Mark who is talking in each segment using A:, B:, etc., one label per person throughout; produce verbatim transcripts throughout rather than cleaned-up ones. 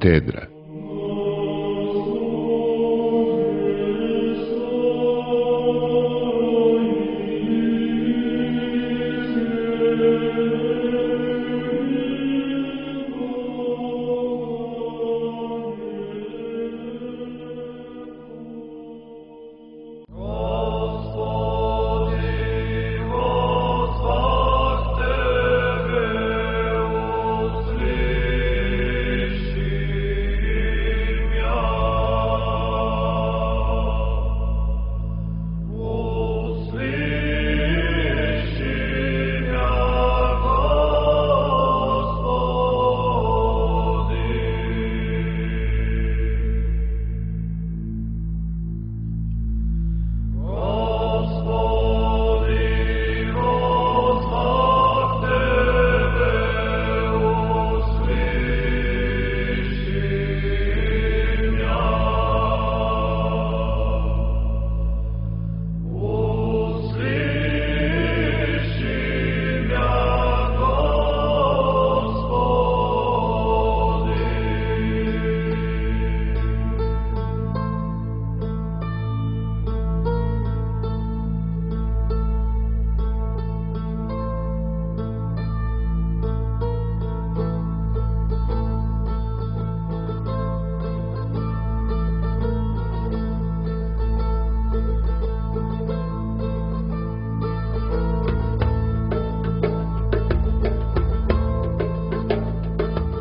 A: Katedra.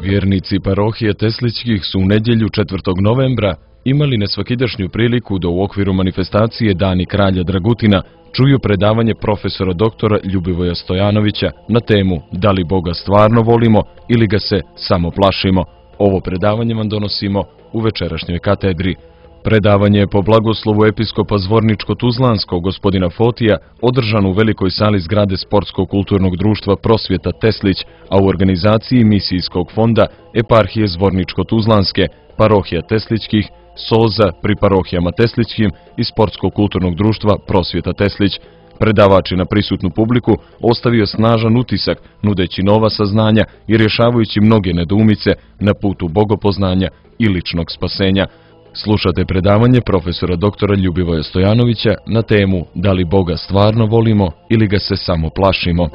A: Vjernici parohije Teslićkih su u nedjelju četvrtog novembra imali nesvakidašnju priliku da u okviru manifestacije Dani kralja Dragutina čuju predavanje profesora doktora Ljubivoja Stojanovića na temu Da li Boga stvarno volimo ili ga se samo plašimo. Ovo predavanje vam donosimo u večerašnjoj katedri. Predavanje je po blagoslovu episkopa Zvorničko-Tuzlanskog gospodina Fotija održano u velikoj sali zgrade Sportsko-kulturnog društva Prosvjeta Teslić, a u organizaciji misijskog fonda Eparhije Zvorničko-Tuzlanske, parohija Teslićkih, Soza pri parohijama Teslićkim i Sportsko-kulturnog društva Prosvjeta Teslić. Predavač je na prisutnu publiku ostavio snažan utisak, nudeći nova saznanja i rješavajući mnoge nedoumice na putu bogopoznanja i ličnog spasenja. Slušate predavanje profesora doktora Ljubivoja Stojanovića na temu Da li Boga stvarno volimo ili ga se samo plašimo.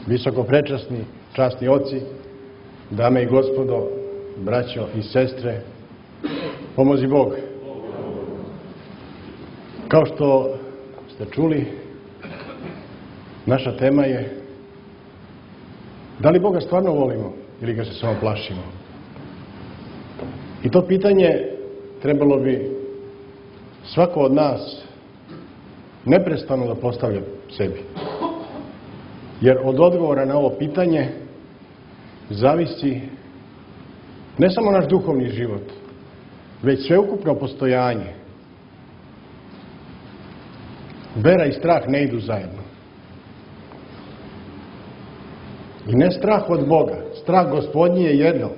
B: Visoko prečasni, časni oci, dame i gospodo, braćo i sestre, pomozi Bog. Kao što ste čuli, naša tema je da li Boga stvarno volimo ili ga se samo plašimo. I to pitanje trebalo bi svako od nas neprestano da postavlja sebi. Jer od odgovora na ovo pitanje zavisi ne samo naš duhovni život, već sveukupno postojanje. Vera i strah ne idu zajedno. I ne strah od Boga. Strah Gospodnji je jedno,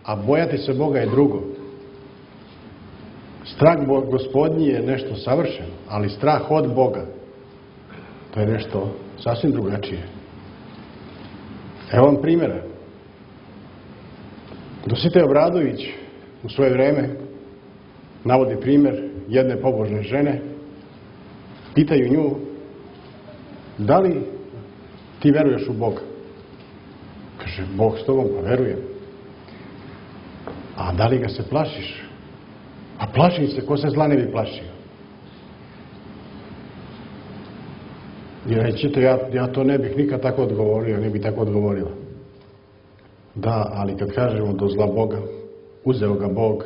B: a bojati se Boga je drugo. Strah Gospodnji je nešto savršeno, ali strah od Boga to je nešto sasvim drugačije. Evo vam primjera. Dositej Obradović u svoje vreme navodi primjer jedne pobožne žene. Pitaju nju, da li ti veruješ u Boga? Kaže, Bog s tobom, pa verujem. A da li ga se plašiš? A plašim se, ko se zla ne bi plašio. I rećete, ja, ja to ne bih nikad tako odgovorio, ne bih tako odgovorila. Da, ali kad kažemo do zla Boga, uzeo ga Bog,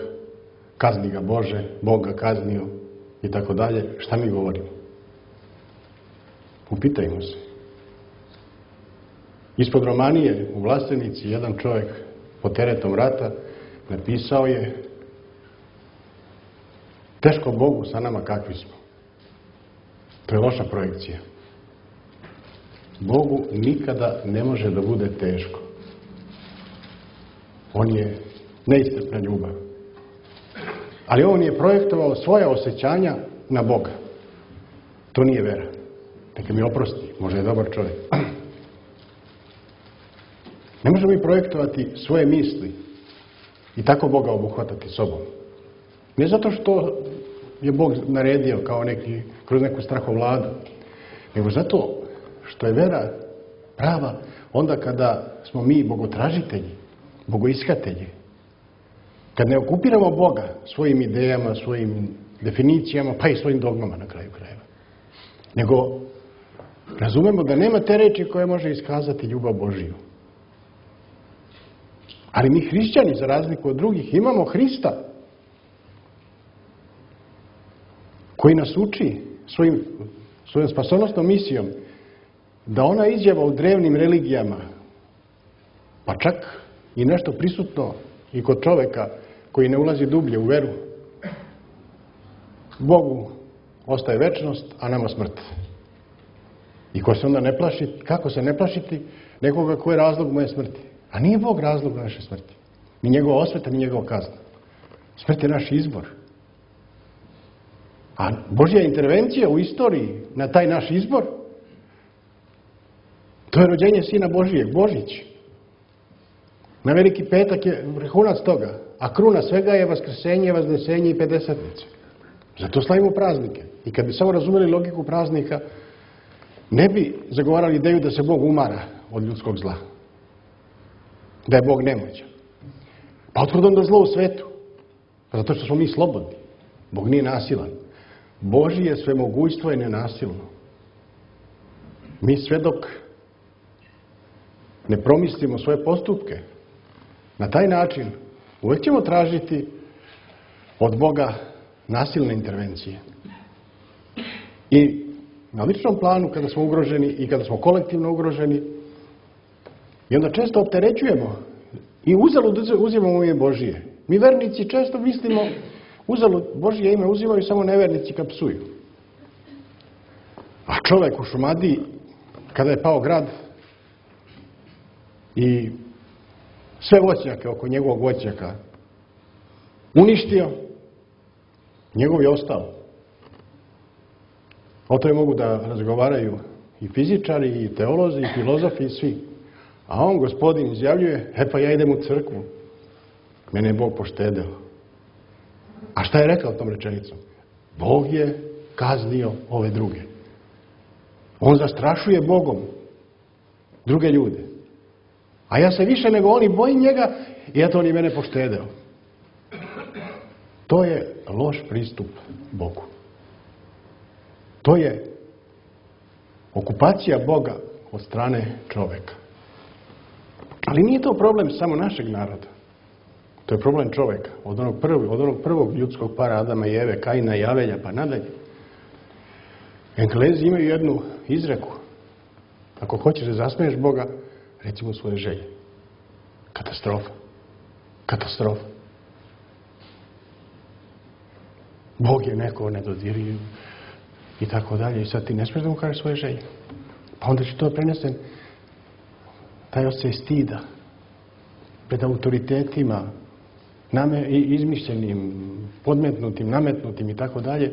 B: kazni ga Bože, Bog ga kaznio i tako dalje, šta mi govorimo? Upitajmo se. Ispod Romanije u Vlastenici jedan čovjek pod teretom rata napisao je: teško Bogu sa nama kakvi smo. To je loša projekcija. Bogu nikada ne može da bude teško. On je neiscrpna ljubav. Ali on je projektovao svoja osjećanja na Boga. To nije vera. Neka mi oprosti, možda je dobar čovjek. Ne možemo mi projektovati svoje misli i tako Boga obuhvatati sobom. Ne zato što je Bog naredio kao neki, kroz neku strahovladu, nego zato što je vera prava onda kada smo mi bogotražitelji, bogoishatelji. Kad ne okupiramo Boga svojim idejama, svojim definicijama, pa i svojim dogmama na kraju krajeva. Nego razumemo da nema te reči koje može iskazati ljubav Božiju. Ali mi hrišćani, za razliku od drugih, imamo Hrista koji nas uči svojim, svojom spasonosnom misijom da ona izjava u drevnim religijama, pa čak i nešto prisutno i kod čoveka koji ne ulazi dublje u veru, Bogu ostaje večnost, a nama smrt. I ko se onda ne plaši, kako se ne plašiti nekoga koji je razlog moje smrti? A nije Bog razlog naše smrti. Ni njegova osveta, ni njegova kazna. Smrt je naš izbor. A Božja intervencija u istoriji na taj naš izbor, to je rođenje Sina Božijeg, Božić. Na Veliki petak je vrhunac toga, a kruna svega je vaskrsenje, vaznesenje i pedesetnice. Zato slavimo praznike. I kad bi samo razumeli logiku praznika, ne bi zagovarali ideju da se Bog umara od ljudskog zla. Da je Bog nemoćan. Pa otkud onda zlo u svetu? Pa zato što smo mi slobodni. Bog nije nasilan. Božije svemogućstvo je nenasilno. Mi sve dok ne promislimo svoje postupke na taj način, uvijek ćemo tražiti od Boga nasilne intervencije. I na ličnom planu, kada smo ugroženi i kada smo kolektivno ugroženi, i onda često opterećujemo i uzalud uzimamo ime Božije. Mi vernici često mislimo, uzalud Božije ime uzimaju samo nevernici kad psuju. A čovjek u Šumadiji, kada je pao grad i sve voćnjake oko njegovog voćnjaka uništio, njegov je ostao. O tome mogu da razgovaraju i fizičari, i teolozi, i filozofi, i svi. A on, gospodin, izjavljuje: e pa ja idem u crkvu. Mene je Bog poštedeo. A šta je rekao tom rečenicom? Bog je kaznio ove druge. On zastrašuje Bogom druge ljude. A ja se više nego oni bojim njega i eto on je mene poštedeo. To je loš pristup Bogu. To je okupacija Boga od strane čoveka. Ali nije to problem samo našeg naroda. To je problem čoveka. Od onog prvog, od onog prvog ljudskog para Adama i Eve, Kaina i Avelja, pa nadalje. Englezi imaju jednu izreku. Ako hoćeš da zasmeješ Boga, reci mu svoje želje. Katastrofa. Katastrofa. Bog je neko nedodirljiv i tako dalje. I sad ti ne smiješ da mu kažeš svoje želje. Pa onda će to prenesen taj osjećaj stida pred autoritetima, name, izmišljenim, podmetnutim, nametnutim i tako dalje.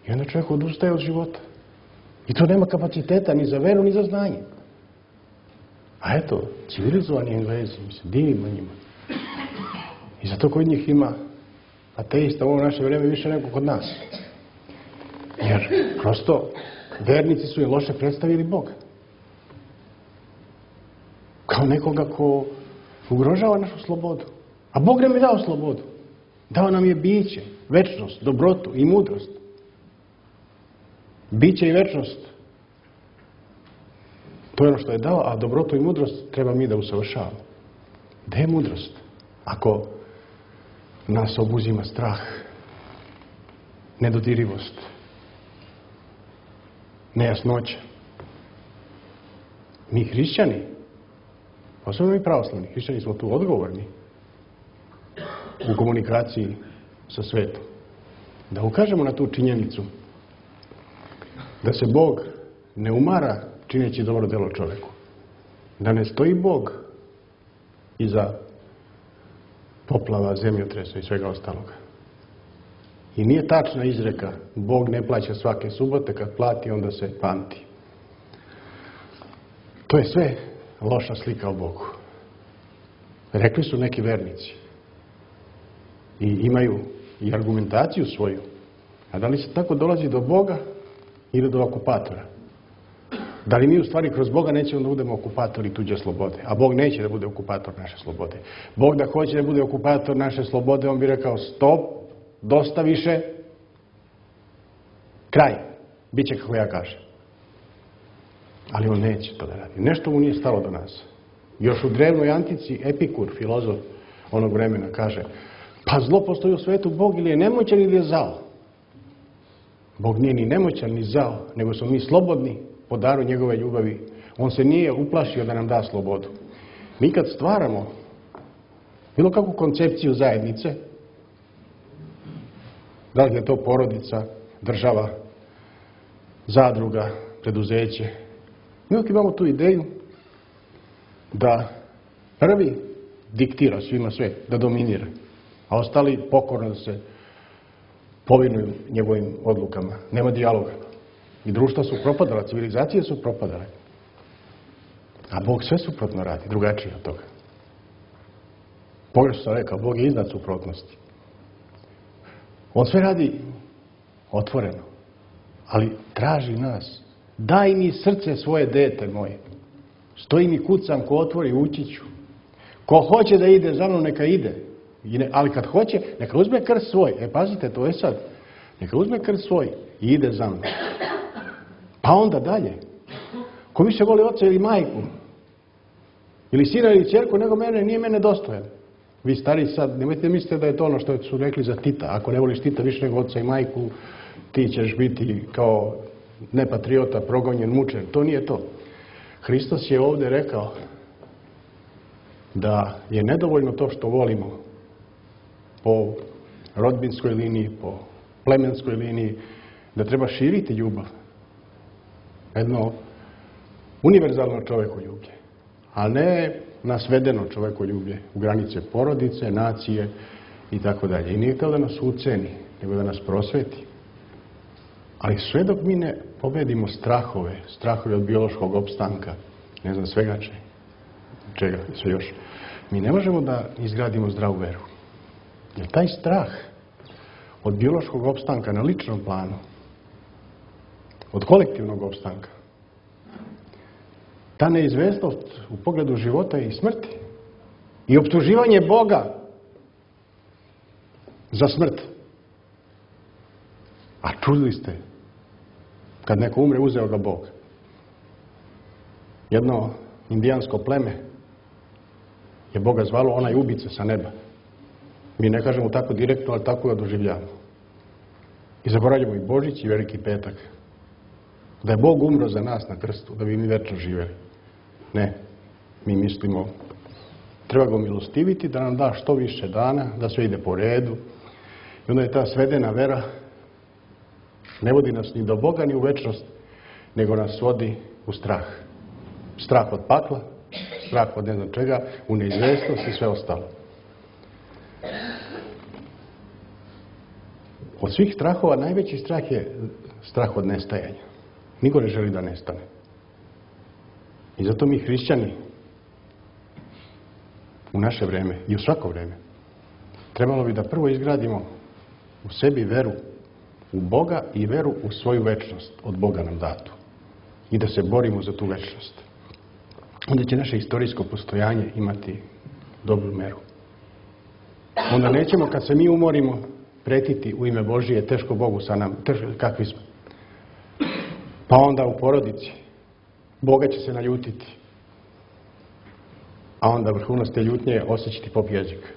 B: I onda čovjek odustaje od života. I to nema kapaciteta ni za veru, ni za znanje. A eto, civilizovani Englezi, mi se divimo njima. I zato kod njih ima ateista u ovo naše vrijeme više nego kod nas. Jer prosto vernici su je loše predstavili Boga. Kao nekoga ko ugrožava našu slobodu. A Bog nam je dao slobodu. Dao nam je biće, večnost, dobrotu i mudrost. Biće i večnost. To je ono što je dao, a dobrotu i mudrost treba mi da usavršavamo. Gde je mudrost? Ako nas obuzima strah, nedodirivost, nejasnoća. Mi hrišćani, posebno mi pravoslavni hrišćani, smo tu odgovorni. u komunikaciji sa svetom. Da ukažemo na tu činjenicu da se Bog ne umara čineći dobro delo čoveku. Da ne stoji Bog iza poplava, zemljotresa i svega ostaloga. I nije tačna izreka Bog ne plaća svake subote, kad plati onda se pamti. To je sve loša slika o Bogu. Rekli su neki vernici i imaju i argumentaciju svoju. A da li se tako dolazi do Boga ili do okupatora? Da li mi u stvari kroz Boga nećemo da budemo okupatori tuđe slobode? A Bog neće da bude okupator naše slobode. Bog da hoće da bude okupator naše slobode, on bi rekao stop, dosta više, kraj, bit će kako ja kažem. Ali on neće to da radi. Nešto mu nije stalo do nas. Još u drevnoj antici Epikur, filozof onog vremena, kaže pa zlo postoji u svetu, Bog ili je nemoćan ili je zao. Bog nije ni nemoćan ni zao, nego smo mi slobodni po daru njegove ljubavi. On se nije uplašio da nam da slobodu. Mi kad stvaramo bilo kakvu koncepciju zajednice, da li je to porodica, država, zadruga, preduzeće, mi uvijek imamo tu ideju da prvi diktira svima sve, da dominira, a ostali pokorno da se povinuju njegovim odlukama. Nema dijaloga. I društva su propadala, civilizacije su propadale. A Bog sve suprotno radi, drugačije od toga. Pogrešno sam rekao, Bog je iznad suprotnosti. On sve radi otvoreno, ali traži nas. Daj mi srce svoje, dete moje. Stojim i kucam, ko otvori, ući ću. Ko hoće da ide za mnom, neka ide. I ne, ali kad hoće, neka uzme krst svoj. E, pazite, to je sad. Neka uzme krst svoj i ide za mnom. Pa onda dalje. Ko više voli oca ili majku, ili sina ili ćerku, nego mene, nije mene dostojan. Vi stari sad, nemojte mislite da je to ono što su rekli za Tita. Ako ne voliš Tita više nego oca i majku, ti ćeš biti kao nepatriota, progonjen, mučen. To nije to. Hristos je ovdje rekao da je nedovoljno to što volimo po rodbinskoj liniji, po plemenskoj liniji, da treba širiti ljubav. Jedno univerzalno čovekoljublje, a ne nasvedeno čovekoljublje u granice porodice, nacije i tako dalje. I nije to da nas uceni, nego da nas prosveti. Ali sve dok mi ne pobedimo strahove, strahove od biološkog opstanka, ne znam svega če, čega, sve još, mi ne možemo da izgradimo zdravu veru. Jer taj strah od biološkog opstanka na ličnom planu, od kolektivnog opstanka, ta neizvesnost u pogledu života i smrti i optuživanje Boga za smrt. A čuli ste, kad neko umre, uzeo ga Bog. Jedno indijansko pleme je Boga zvalo onaj ubica sa neba. Mi ne kažemo tako direktno, ali tako ga doživljavamo. I zaboravljamo i Božić i Veliki petak. Da je Bog umro za nas na krstu, da bi mi večno živjeli. Ne, mi mislimo, treba ga milostiviti, da nam da što više dana, da sve ide po redu. I onda je ta svedena vera, ne vodi nas ni do Boga, ni u večnost, nego nas vodi u strah. Strah od pakla, strah od ne znam čega, u neizvestnost i sve ostalo. Od svih strahova najveći strah je strah od nestajanja. Niko ne želi da nestane. I zato mi hrišćani u naše vreme i u svako vreme trebalo bi da prvo izgradimo u sebi veru u Boga i veru u svoju večnost od Boga nam datu. I da se borimo za tu večnost. Onda će naše istorijsko postojanje imati dobru meru. Onda nećemo, kad se mi umorimo, pretiti u ime Božije, teško Bogu sa nam, teško, kakvi smo. Pa onda u porodici Boga će se naljutiti. A onda vrhunac te ljutnje osjećati pop jezik.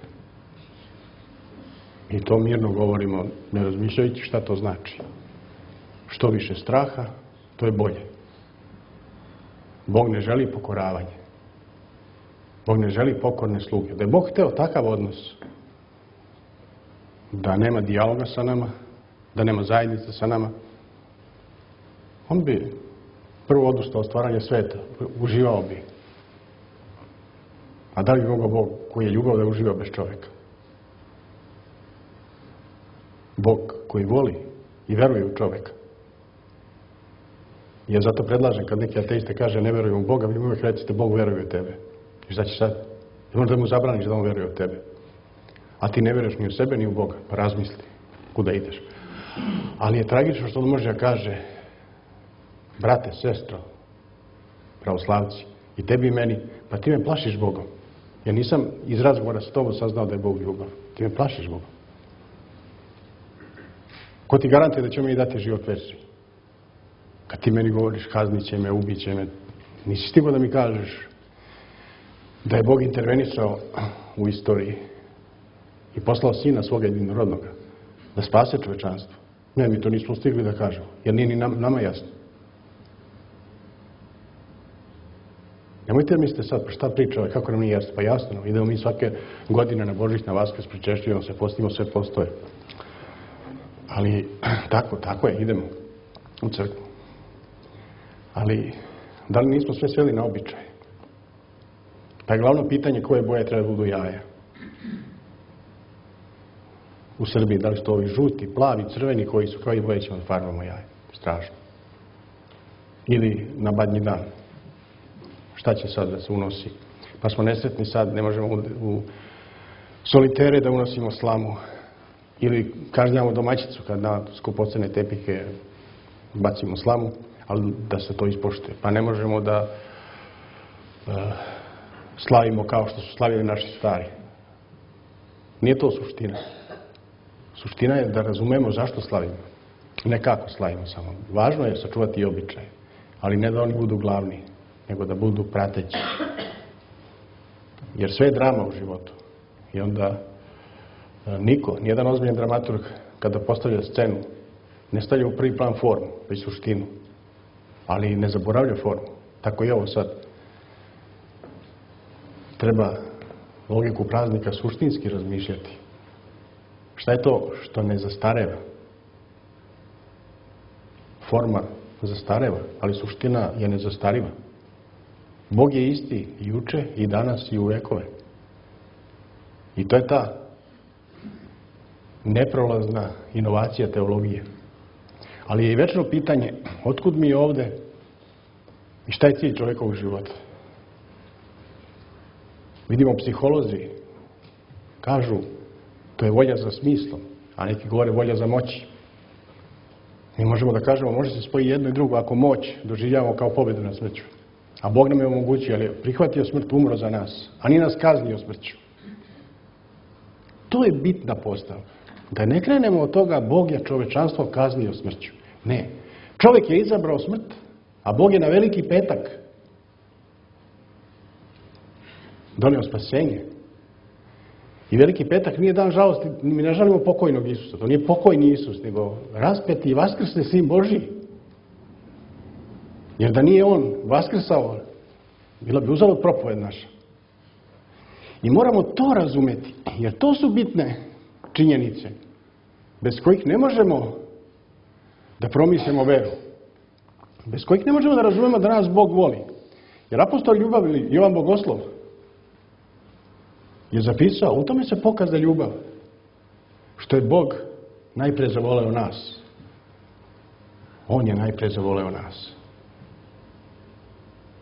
B: I to mirno govorimo, ne razmišljajući šta to znači. Što više straha, to je bolje. Bog ne želi pokoravanje. Bog ne želi pokorne sluge. Da je Bog hteo takav odnos, da nema dijaloga sa nama, da nema zajednice sa nama, on bi prvo odustao od stvaranja sveta, uživao bi. A da li bi mogao Bog koji je ljubav da uživa bez čovjeka? Bog koji voli i veruje u čovjeka. Ja zato predlažem kad neki ateiste kaže ne veruju u Boga, vi uvijek recite Bog veruje u tebe. I šta ćeš sad? I možda mu zabraniš da on veruje u tebe. A ti ne veruješ ni u sebe ni u Boga. Pa razmisli kuda ideš. Ali je tragično što on može da kaže brate, sestro, pravoslavci, i tebi i meni, pa ti me plašiš Bogom. Ja nisam iz razgovora s tobom saznao da je Bog ljubav. Ti me plašiš Bogom. Ko ti garantuje da će mi dati život večni? Kad ti meni govoriš kaznit će me, ubit će me, nisi stigao da mi kažeš da je Bog intervenisao u istoriji i poslao sina svoga jedinorodnoga da spase čovečanstvo. Ne, mi to nismo stigli da kažemo, jer nije ni nama jasno. Nemojte mislite sad, pa šta priča ovaj, kako nam nije jasno? Pa jasno, idemo mi svake godine na Božić, na Vaskrs, pričešćujemo se, postimo, sve postoje. Ali tako, tako je, idemo u crkvu. Ali, da li nismo sve sveli na običaj? Pa je glavno pitanje koje boje treba da budu jaja. U Srbiji, da li su to ovi žuti, plavi, crveni, koji su kao i boje ćemo da farbamo jaja. Strašno. Ili na badnji dan. Šta će sad da se unosi? Pa smo nesretni sad, ne možemo u, u solitere da unosimo slamu. Ili kažnjamo domaćicu kad na skupocene tepike bacimo slamu, ali da se to ispoštuje. Pa ne možemo da uh, slavimo kao što su slavili naši stari. Nije to suština. Suština je da razumemo zašto slavimo. Ne kako slavimo samo. Važno je sačuvati i običaje, ali ne da oni budu glavni, nego da budu prateći. Jer sve je drama u životu. I onda niko, nijedan ozbiljan dramaturg, kada postavlja scenu, ne stavlja u prvi plan formu, već suštinu. Ali ne zaboravlja formu. Tako i ovo sad. Treba logiku praznika suštinski razmišljati. Šta je to što ne zastareva? Forma zastareva, ali suština je nezastariva. Bog je isti i juče, i danas, i u vekove. I to je ta neprolazna inovacija teologije. Ali je i večno pitanje, otkud mi ovde i šta je cilj čovjekovog života? Vidimo, psiholozi kažu, to je volja za smislom, a neki govore volja za moći. Mi možemo da kažemo, može se spojiti jedno i drugo ako moć doživljavamo kao pobjedu nad smrću. A Bog nam je omogućio, ali je prihvatio smrt, umro za nas, a nije nas kaznio smrću. To je bitna postavka. Da ne krenemo od toga, Bog je čovečanstvo kaznio smrću. Ne. Čovjek je izabrao smrt, a Bog je na veliki petak donio spasenje. I veliki petak nije dan žalosti, mi ne žalimo pokojnog Isusa. To nije pokojni Isus, nego raspeti i vaskrsni Sin Božji. Jer da nije on vaskrsao, bila bi uzalud propoved naša. I moramo to razumeti, jer to su bitne činjenice, bez kojih ne možemo da promislimo veru. Bez kojih ne možemo da razumemo da nas Bog voli. Jer apostol ljubav ili Jovan Bogoslov je zapisao, u tome se pokaza ljubav, što je Bog najpre zavoleo nas. On je najpre zavoleo nas.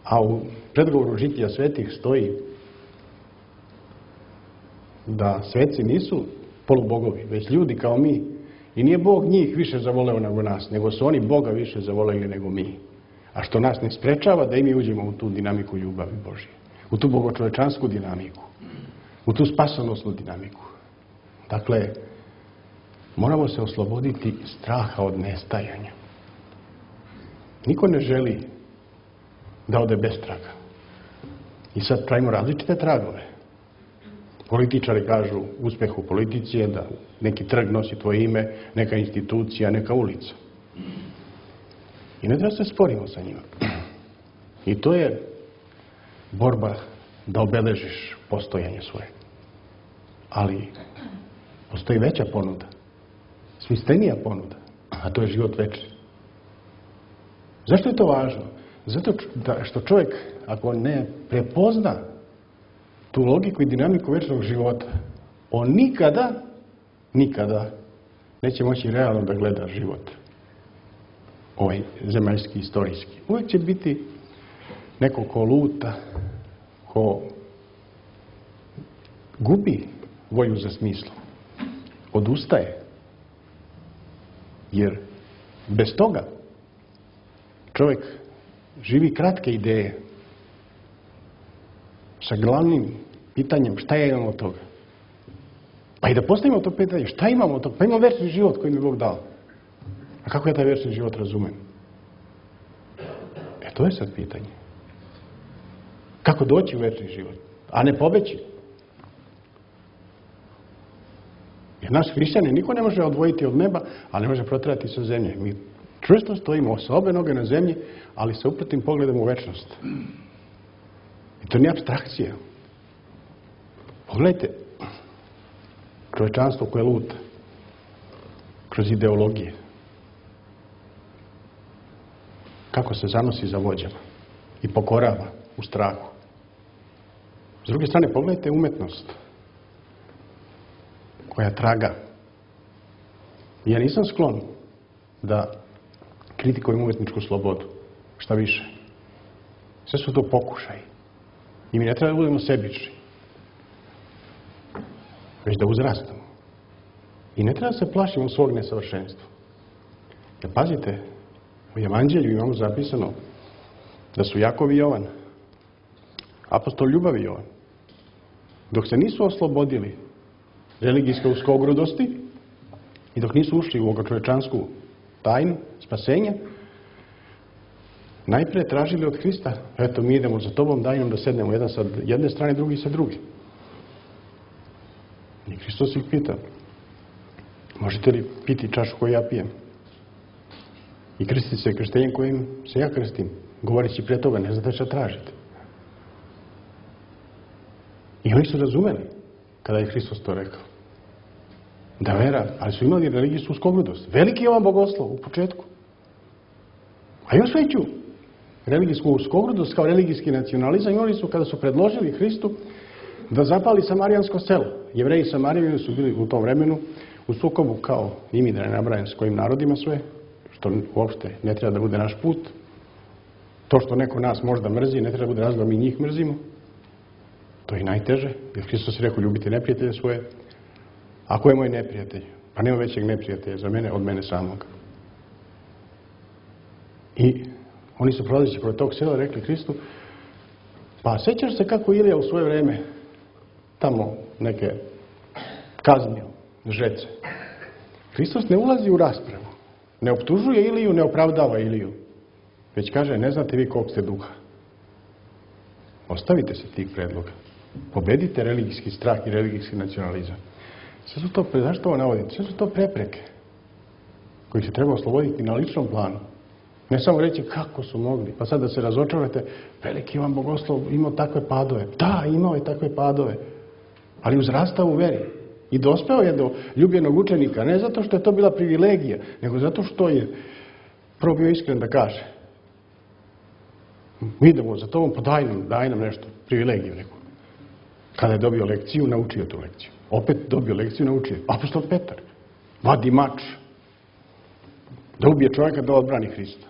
B: A u predgovoru žitija svetih stoji da sveci nisu polubogovi, već ljudi kao mi. I nije Bog njih više zavoleo nego nas, nego su oni Boga više zavoleli nego mi. A što nas ne sprečava da i mi uđemo u tu dinamiku ljubavi Božje, u tu bogočovečansku dinamiku, u tu spasonosnu dinamiku. Dakle, moramo se osloboditi straha od nestajanja. Niko ne želi da ode bez traga. I sad pravimo različite tragove. Političari kažu uspeh u politici je da neki trg nosi tvoje ime, neka institucija, neka ulica. I ne treba se sporimo sa njima. I to je borba da obeležiš postojanje svoje. Ali Postoji veća ponuda, smislenija ponuda, a to je život večni. Zašto je to važno? Zato što čovjek, ako ne prepozna tu logiku i dinamiku večnog života, on nikada, nikada neće moći realno da gleda život. Ovaj zemaljski, istorijski. Uvijek će biti neko ko luta, ko gubi volju za smislom, odustaje. Jer bez toga čovjek živi kratke ideje sa glavnim pitanjem šta ja imam od toga. Pa i da postavimo to pitanje, šta imamo od toga? Pa imamo večni život koji mi je Bog dao. A kako ja taj večni život razumem? E, to je sad pitanje. Kako doći u večni život? A ne pobeći. Jer naš hrišćanin niko ne može odvojiti od neba, ali ne može protrati sa zemlje. Mi čvrsto stojimo sa obe noge na zemlji, ali sa uprtim pogledom u večnost. I to nije apstrakcija. Pogledajte čovječanstvo koje luta kroz ideologije. Kako se zanosi za vođama i pokorava u strahu. S druge strane, pogledajte umetnost koja traga. Ja nisam sklon da kritikujem umetničku slobodu. Šta više. Sve su to pokušaj. I mi ne treba da budemo sebični. Već da uzrastamo. I ne treba da se plašimo svog nesavršenstva. Jer pazite, u Evanđelju imamo zapisano da su Jakov i Jovan, apostol ljubavi Jovan, dok se nisu oslobodili religijske uskogrudosti i dok nisu ušli u ovoga čovečansku tajnu spasenja, najprije tražili od Hrista, eto mi idemo za tobom, daj nam da sednemo jedan sa jedne strane, drugi sa druge. I Hristos ih pita, možete li piti čašu koju ja pijem? I krstiti se krštenjem kojim se ja krstim, govoreći prije toga, ne znate šta tražite. I oni su razumeli kada je Hristos to rekao. Da vera, ali su imali religijsku uskogrudost. Veliki je ovan bogoslov u početku. A još veću religijsku uskogrudost kao religijski nacionalizam imali su kada su predložili Hristu da zapali samarijansko selo. Jevreji i Samarijani su bili u tom vremenu u sukobu kao i mi, da ne nabrajam s kojim narodima sve, što uopšte ne treba da bude naš put. To što neko nas možda mrzi, ne treba da bude razlog mi njih mrzimo. To je najteže, jer Hristos je rekao ljubite neprijatelje svoje. A ko je moj neprijatelj? Pa nema većeg neprijatelja za mene od mene samog. I oni su prolazeći kroz tog sela rekli Hristu, pa sećaš se kako Ilija u svoje vreme tamo neke kaznio žece. Hristos ne ulazi u raspravu. Ne optužuje Iliju, ne opravdava Iliju. Već kaže, ne znate vi kog ste duha. Ostavite se tih predloga. Pobedite religijski strah i religijski nacionalizam. Sve su to, zašto ovo navodim? Sve su to prepreke koji se treba osloboditi na ličnom planu. Ne samo reći kako su mogli, pa sad da se razočarate, veliki Ivan Bogoslov imao takve padove. Da, imao je takve padove, ali uzrastao u veri. I dospeo je do ljubljenog učenika, ne zato što je to bila privilegija, nego zato što je prvo bio iskren da kaže. Mi idemo za tobom, pa daj nam, daj nam nešto, privilegiju neku. Kada je dobio lekciju, naučio tu lekciju. Opet dobio lekciju, naučio. Apostol Petar vadi mač da ubije čovjeka da odbrani Hrista.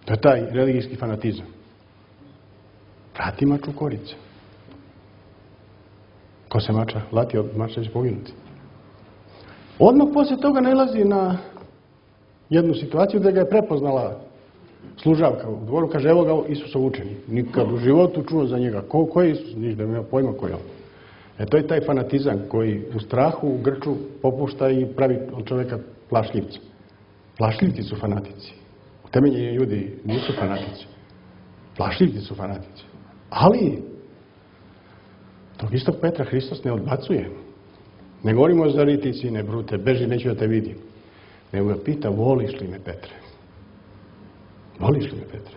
B: To je taj religijski fanatizam. Vrati mač u korice. Ko se mača lati od mača će poginuti. Odmah poslije toga nailazi na jednu situaciju da ga je prepoznala služavka u dvoru, kaže, evo ga Isusov učenik. Nikad u životu čuo za njega. Ko, ko je Isus? Niš da ima pojma ko je on. E to je taj fanatizam koji u strahu, u grču popušta i pravi od čovjeka plašljivca. Plašljivci su fanatici. Utemeljeni ljudi nisu fanatici. Plašljivci su fanatici. Ali tog istog Petra Hristos ne odbacuje. Ne govorimo za riti, sine, brute, beži, neću da te vidim. Nego ga pita, voliš li me, Petre? Voliš li me, Petre?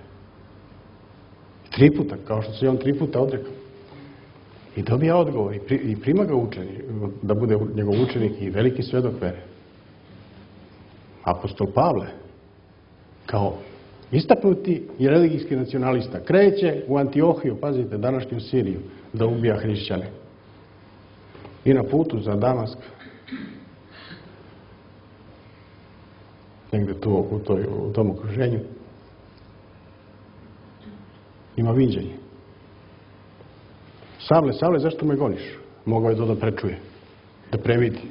B: Tri puta, kao što se on tri puta odrekao. I dobija odgovor i prima ga učenik, da bude njegov učenik i veliki svedok vere. Apostol Pavle, kao istaknuti i religijski nacionalista, kreće u Antiohiju, pazite, današnju Siriju, da ubija hrišćane. I na putu za Damask, negde tu u, toj, u tom okruženju, ima viđenje. Savle, Savle, zašto me goniš? Mogao je to da prečuje, da previdi.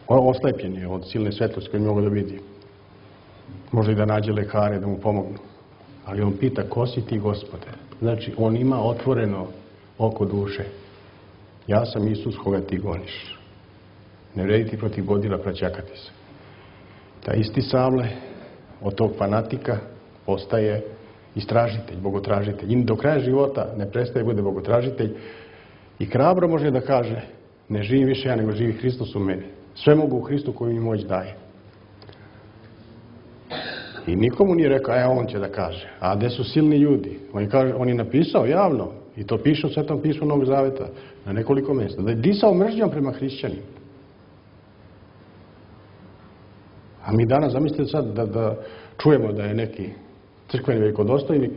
B: Oslepljen je od silne svetlosti koje mogu da vidi. Može i da nađe lekare da mu pomognu. Ali on pita, ko si ti, Gospode? Znači, on ima otvoreno oko duše. Ja sam Isus koga ti goniš. Ne vredi ti protiv bodila praćakati se. Ta isti Savle od tog fanatika postaje istražitelj, bogotražitelj. I do kraja života ne prestaje bude bogotražitelj i hrabro može da kaže, ne živim više ja, nego živi Hristos u meni. Sve mogu u Hristu koji mi moć daje. I nikomu nije rekao, e, on će da kaže. A gde su silni ljudi? On je, kaže, on je napisao javno, i to piše u Svetom pismu Novog Zaveta, na nekoliko mjesta, da je disao mržnjom prema hrišćanima. A mi danas, zamislite sad, da, da čujemo da je neki crkveni velikodostojnik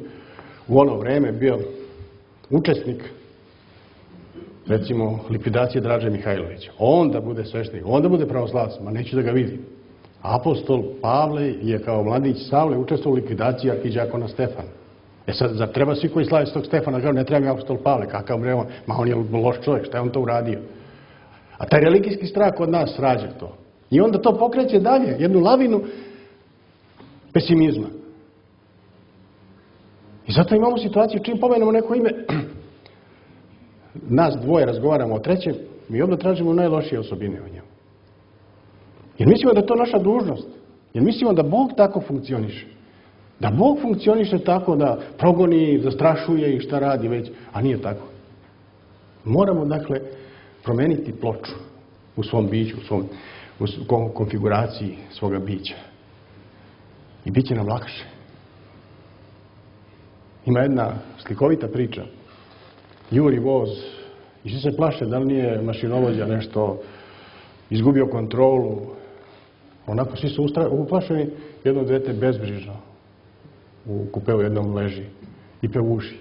B: u ono vreme bio učesnik, recimo, likvidacije Draže Mihajlovića. On da bude sveštenik, on da bude pravoslavac, ma neću da ga vidim. Apostol Pavle je kao mladić Savle učestvovao u likvidaciji arhiđakona Stefana. E sad, zar treba svi koji slave stog Stefana, kažu, ne treba mi apostol Pavle, kakav bre on, ma on je loš čovjek, šta je on to uradio? A taj religijski strah kod nas rađa to. I onda to pokreće dalje, jednu lavinu pesimizma. I zato imamo situaciju, čim pomenemo neko ime, nas dvoje razgovaramo o trećem, mi odmah tražimo najlošije osobine o njemu. Jer mislimo da je to naša dužnost. Jer mislimo da Bog tako funkcioniše. Da Bog funkcioniše tako da progoni, zastrašuje i šta radi već, a nije tako. Moramo, dakle, promeniti ploču u svom biću, u svom u konfiguraciji svoga bića. I bit će nam lakše. Ima jedna slikovita priča. Juri voz i svi se plaše da li nije mašinovođa nešto izgubio kontrolu. Onako svi su uplašeni, jedno dete bezbrižno u kupeu jednom leži i pevuši.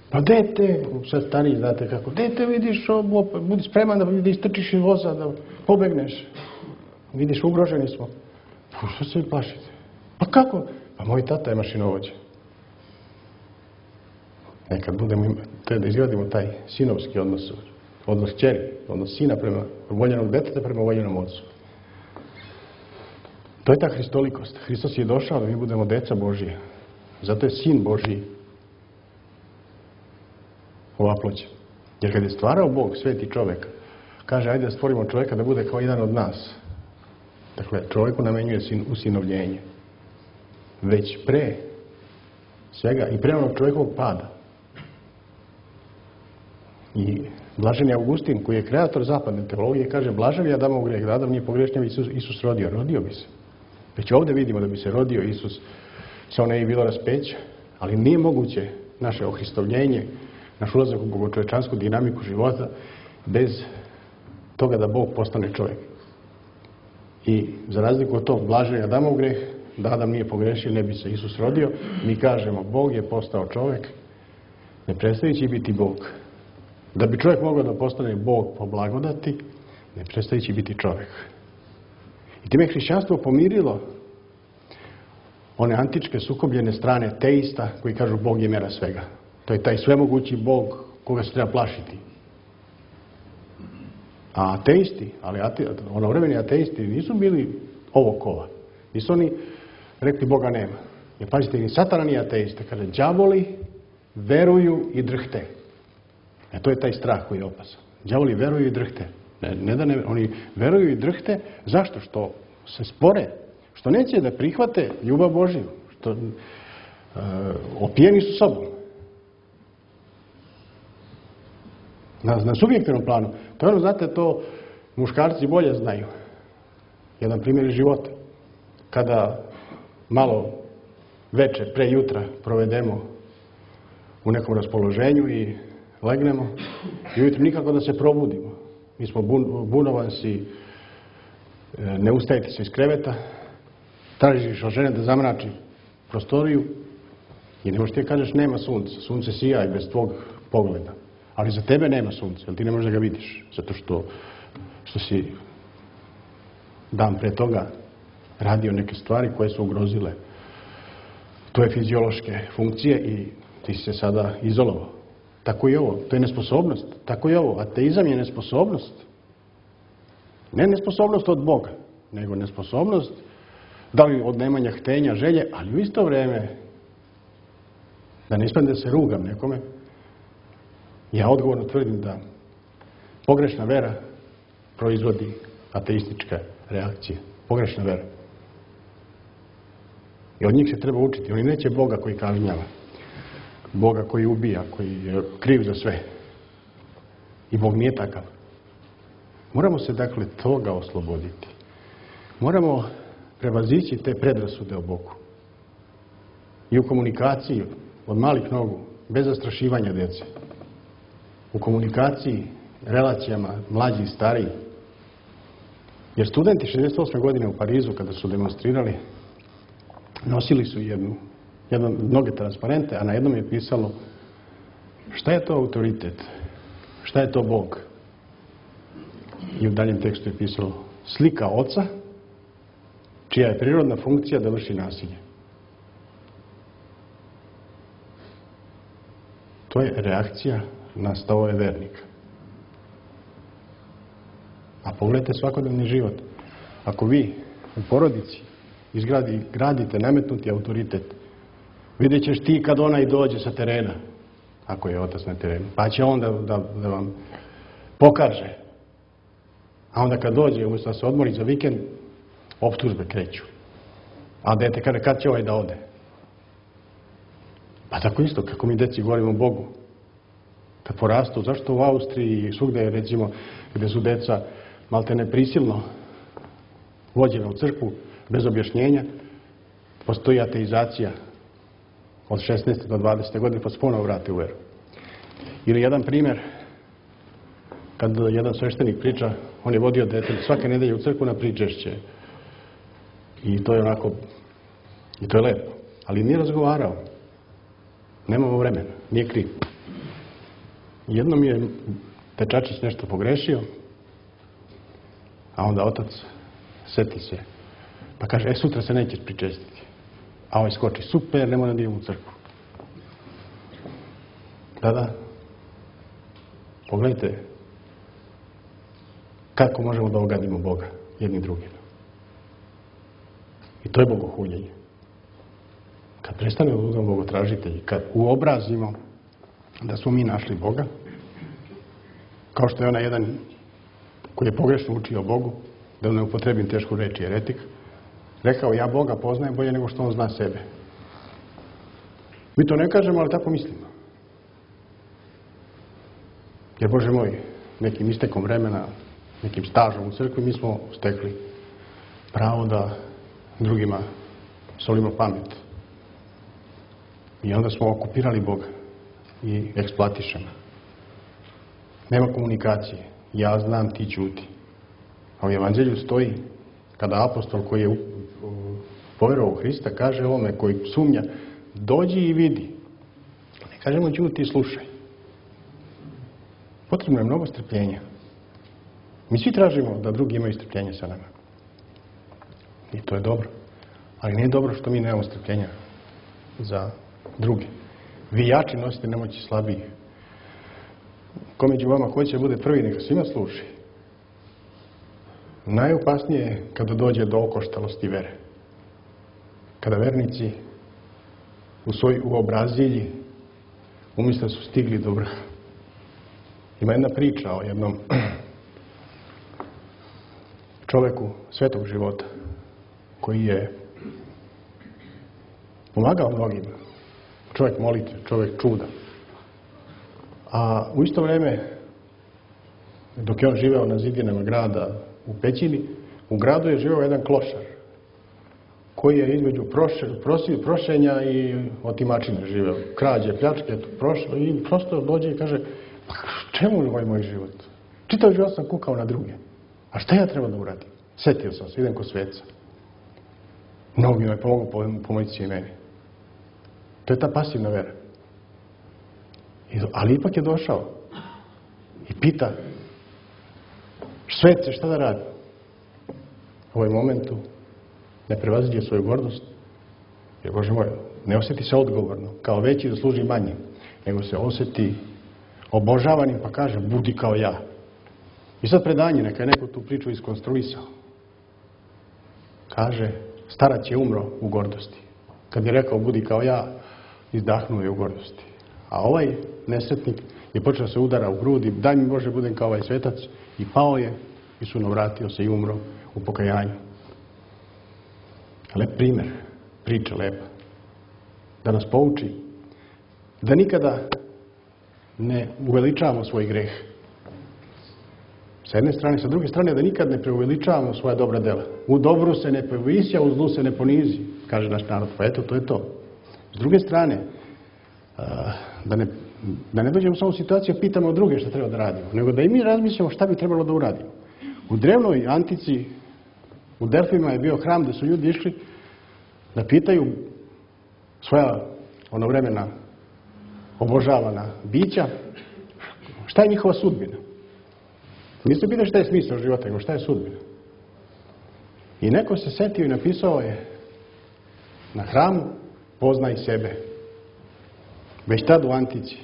B: Pa dete, sad stariji znate kako, dete vidiš, budi spreman da istrčiš iz voza, da pobegneš. Vidiš, ugroženi smo. Pa što se vi plašite? Pa kako? Pa moj tata je mašinovođa. Nekad budemo da izgradimo taj sinovski odnos, odnos kćeri, odnos sina prema voljenog deteta prema voljenom ocu. To je ta hristolikost. Hristos je došao da mi budemo deca Božije. Zato je sin Božiji ovaploćen. Jer kad je stvarao Bog, sveti čovek, kaže, ajde da stvorimo čoveka da bude kao jedan od nas. Dakle, čoveku namenjuje sin, usinovljenje. Već pre svega i pre onog čovekovog pada. I Blaženi Augustin, koji je kreator zapadne teologije, kaže, blažen je Adamov greh, da Adam nije pogrešnjav, Isus, Isus rodio. Rodio bi se. Već ovdje vidimo da bi se rodio Isus, samo ne bi bilo raspeća, ali nije moguće naše ohristovljenje, naš ulazak u bogočovečansku dinamiku života bez toga da Bog postane čovjek. I za razliku od tog blaženja Adamov greh, da Adam nije pogrešio, ne bi se Isus rodio, mi kažemo, Bog je postao čovjek, ne prestajući biti Bog. Da bi čovjek mogao da postane Bog po blagodati, ne prestajući biti čovjek. I time je hrišćanstvo pomirilo one antičke sukobljene strane teista koji kažu Bog je mera svega. To je taj svemogući Bog koga se treba plašiti. A ateisti, ali ate, onovremeni ateisti nisu bili ovo kova. Nisu oni rekli Boga nema. Jer pazite, ni Satana nije ateista. Kaže, đavoli veruju i drhte. E to je taj strah koji je opasan. Đavoli veruju i drhte. Ne, ne da ne, oni veruju i drhte. Zašto? Što se spore. Što neće da prihvate ljubav Božiju. Što e, opijeni su sobom. Na, na subjektivnom planu. To je ono, znate, to muškarci bolje znaju. Jedan primjer iz života. Kada malo veče, pre jutra, provedemo u nekom raspoloženju i legnemo i ujutro nikako da se probudimo. Mi smo bun, bunovansi, ne ustajete se iz kreveta, tražiš od žene da zamrači prostoriju i ne možeš ti kažeš nema sunca. Sunce sija i bez tvog pogleda. Ali za tebe nema sunca, jer ti ne možeš da ga vidiš. Zato što, što si dan pre toga radio neke stvari koje su ugrozile tvoje fiziološke funkcije i ti si se sada izolovao. Tako i ovo. To je nesposobnost. Tako i ovo. Ateizam je nesposobnost. Ne nesposobnost od Boga, nego nesposobnost da li od nemanja htenja, želje, ali u isto vreme da ne ispadne da se rugam nekome. Ja odgovorno tvrdim da pogrešna vera proizvodi ateističke reakcije. Pogrešna vera. I od njih se treba učiti. Oni neće Boga koji kažnjava. Boga koji ubija, koji je kriv za sve. I Bog nije takav. Moramo se dakle toga osloboditi. Moramo prevazići te predrasude o Bogu. I u komunikaciji od malih nogu, bez zastrašivanja djece. U komunikaciji, relacijama, mlađi i stariji. Jer studenti šezdeset osme godine u Parizu, kada su demonstrirali, nosili su jednu, jedno, mnoge transparente, a na jednom je pisalo šta je to autoritet, šta je to Bog. I u daljem tekstu je pisalo slika oca, čija je prirodna funkcija da vrši nasilje. To je reakcija na stavove vernika. A pogledajte svakodnevni život. Ako vi u porodici izgradi, gradite nametnuti autoritet, vidjet ćeš ti kad onaj dođe sa terena, ako je otac na terenu, pa će on da, da, da vam pokaže. A onda kad dođe, umjesto da se odmori za vikend, optužbe kreću. A dete kaže, kad će ovaj da ode? Pa tako isto, kako mi deci govorimo Bogu. Kad porastu, zašto u Austriji i svugde, recimo, gde su deca malte neprisilno vođena u crkvu, bez objašnjenja, postoji ateizacija od šesnaeste do dvadesete godine, pa se ponovo vrate u veru. Ili jedan primjer, kad jedan sveštenik priča, on je vodio dete svake nedelje u crkvu na pričešće. I to je onako, i to je lepo. Ali nije razgovarao. Nemamo vremena, nije kriv. Jednom je dečačić nešto pogrešio, a onda otac seti se. Pa kaže, e, sutra se nećeš pričestiti. A ovaj skoči, super, ne moram da idem u crkvu. Da, da. Pogledajte kako možemo da ogadimo Boga jedni drugima. I to je bogohuljenje. Kad prestanemo da budemo bogotražitelji, kad uobrazimo da smo mi našli Boga, kao što je onaj jedan koji je pogrešno učio Bogu, da ne upotrebim tešku reč, jeretik, rekao, ja Boga poznajem bolje nego što on zna sebe. Mi to ne kažemo, ali tako mislimo. Jer, Bože moj, nekim istekom vremena, nekim stažom u crkvi, mi smo stekli pravo da drugima solimo pamet. I onda smo okupirali Boga i eksploatišemo. Nema komunikacije. Ja znam, ti ćuti. A u Evanđelju stoji, kada apostol koji je poverovao u Hrista kaže ovome koji sumnja, dođi i vidi. Ne kažemo ćuti i slušaj. Potrebno je mnogo strpljenja. Mi svi tražimo da drugi imaju strpljenje sa nama. I to je dobro. Ali nije dobro što mi nemamo strpljenja za druge. Vi jači nosite nemoći slabiji. Ko među vama hoće da bude prvi, neka svima služi. Najopasnije je kada dođe do okoštalosti vere. Kada vernici u svoj uobrazilji umjesto da su stigli do vrha. Ima jedna priča o jednom čoveku svetog života koji je pomagao mnogima. Čovjek molitve, čovjek čuda. A u isto vrijeme, dok je on živeo na zidinama grada u pećini, u gradu je živeo jedan klošar koji je između proše, prosi, prošenja i otimačine živeo. Krađe, pljačke, prošlo i prosto dođe i kaže, pa čemu je ovaj moj život? Čitav život sam kukao na druge. A šta ja treba da uradim? Setio sam se, idem kod sveca. Mnogi me pomogu pomoći i meni. To je ta pasivna vera. I, ali ipak je došao i pita, svece, šta da radi? U ovom momentu ne prevaziđe svoju gordost, jer, Bože moj, ne osjeti se odgovorno, kao veći da služi manje, nego se osjeti obožavanim pa kaže, budi kao ja. I sad predanje, neka je neko tu priču iskonstruisao. Kaže, starac je umro u gordosti. Kad je rekao, budi kao ja, izdahnuo je u gordosti. A ovaj nesretnik je počeo se udara u grudi, daj mi Bože budem kao ovaj svetac, i pao je i sunovratio se i umro u pokajanju. Lep primjer, priča lepa, da nas pouči da nikada ne uveličavamo svoj greh. Sa jedne strane, sa druge strane da nikad ne preuveličavamo svoja dobra dela. U dobru se ne povisi, a u zlu se ne ponizi, kaže naš narod. Pa eto, to je to. S druge strane, da ne, da ne dođemo samo u situaciju pitamo druge šta treba da radimo, nego da i mi razmišljamo šta bi trebalo da uradimo. U drevnoj antici, u Delfima je bio hram gde su ljudi išli da pitaju svoja ono vremena obožavana bića šta je njihova sudbina. Nisu pitali šta je smisao života, nego šta je sudbina. I neko se setio i napisao je na hramu, poznaj sebe. Već tad u antici.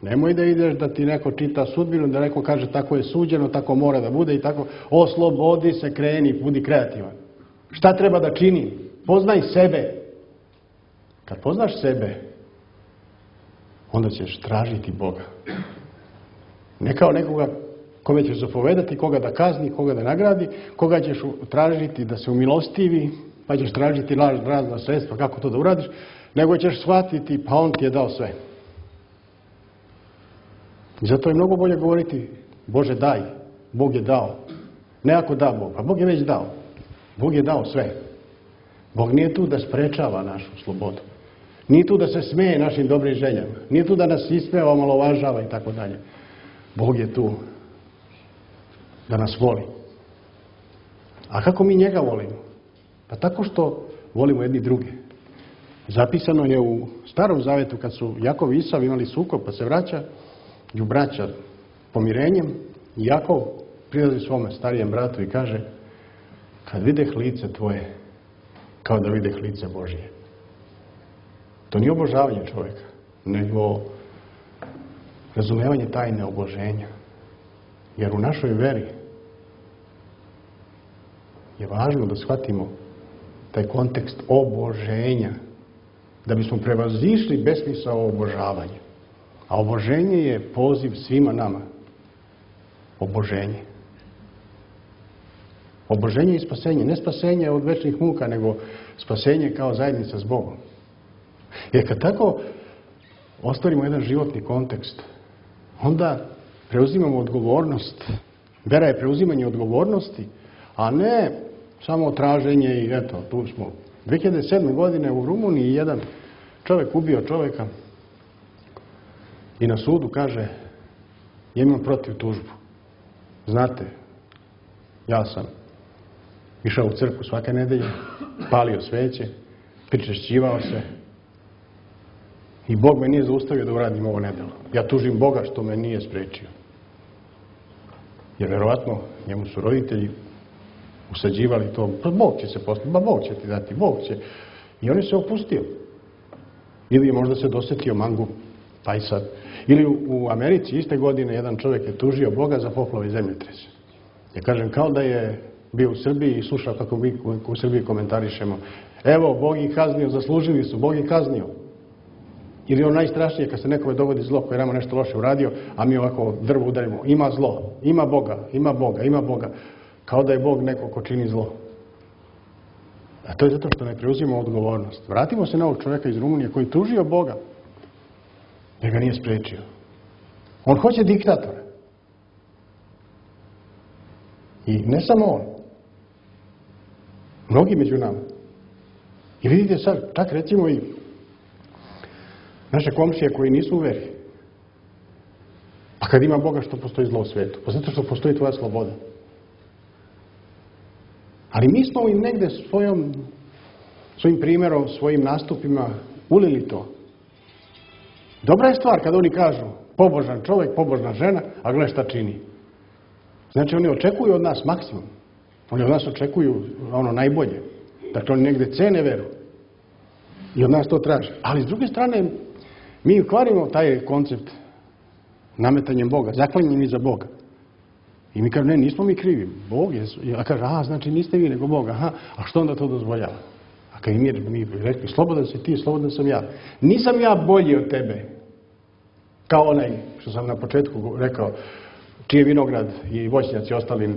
B: Nemoj da ideš da ti neko čita sudbinu, da neko kaže tako je suđeno, tako mora da bude i tako. Oslobodi se, kreni, budi kreativan. Šta treba da čini? Poznaj sebe. Kad poznaš sebe, onda ćeš tražiti Boga. Ne kao nekoga kome ćeš zapovedati, koga da kazni, koga da nagradi, koga ćeš tražiti da se umilostivi, pa ćeš tražiti razna sredstva kako to da uradiš, nego ćeš shvatiti, pa on ti je dao sve. I zato je mnogo bolje govoriti, Bože daj, Bog je dao. Ne ako da Bog, pa Bog je već dao. Bog je dao sve. Bog nije tu da sprečava našu slobodu. Nije tu da se smeje našim dobrim željama. Nije tu da nas ismeva, omalovažava i tako dalje. Bog je tu da nas voli. A kako mi njega volimo? Pa tako što volimo jedni druge. Zapisano je u Starom Zavetu kad su Jakov i Isav imali sukob pa se vraća i braća pomirenjem i Jakov prilazi svome starijem bratu i kaže kad videh lice tvoje kao da videh lice Božije. To nije obožavanje čovjeka, nego razumevanje tajne oboženja. Jer u našoj veri je važno da shvatimo taj kontekst oboženja, da bismo prevazišli besmisao obožavanja. A oboženje je poziv svima nama. Oboženje. Oboženje i spasenje. Ne spasenje od večnih muka, nego spasenje kao zajednica s Bogom. Jer kad tako ostvarimo jedan životni kontekst, onda preuzimamo odgovornost. Vera je preuzimanje odgovornosti, a ne samo traženje i eto, tu smo. dve hiljade sedme. godine u Rumuniji jedan čovjek ubio čovjeka i na sudu kaže ja imam protiv tužbu. Znate, ja sam išao u crkvu svake nedelje, palio sveće, pričešćivao se i Bog me nije zaustavio da uradim ovo nedelo. Ja tužim Boga što me nije sprečio. Jer verovatno njemu su roditelji usađivali to, pa Bog će se postaviti, pa Bog će ti dati, Bog će. I on je se opustio. Ili je možda se dosetio mangu, pa i sad. Ili u, u Americi iste godine jedan čovjek je tužio Boga za poplave i zemljotrese. Ja kažem, kao da je bio u Srbiji i slušao kako mi u Srbiji komentarišemo. Evo, Bog ih kaznio, zaslužili su, Bog ih kaznio. Ili ono najstrašnije kad se nekome dogodi zlo koji je nama nešto loše uradio, a mi ovako drvo udarimo. Ima zlo, ima Boga, ima Boga, ima Boga. Kao da je Bog neko ko čini zlo. A to je zato što ne preuzimamo odgovornost. Vratimo se na ovog čovjeka iz Rumunije koji tužio Boga, jer ga nije sprečio. On hoće diktatora. I ne samo on. Mnogi među nama. I vidite sad, čak recimo i naše komšije koji nisu u veri. Pa kad ima Boga, što postoji zlo u svetu? Pa zato što postoji tvoja sloboda. Ali mi smo im negde svojom, svojim primjerom, svojim nastupima ulili to. Dobra je stvar kad oni kažu pobožan čovjek, pobožna žena, a gle šta čini. Znači oni očekuju od nas maksimum. Oni od nas očekuju ono najbolje. Dakle, oni negde cene veru. I od nas to traže. Ali s druge strane, mi kvarimo taj koncept nametanjem Boga, zaklanjanjem iza Boga. I mi kažemo, ne, nismo mi krivi. Bog je, ja kažem, a, znači niste vi nego Bog, aha, a što onda to dozvoljava? A kad mi, mi rekli, slobodan si ti, slobodan sam ja. Nisam ja bolji od tebe. Kao onaj, što sam na početku rekao, čiji vinograd i voćnjaci ostali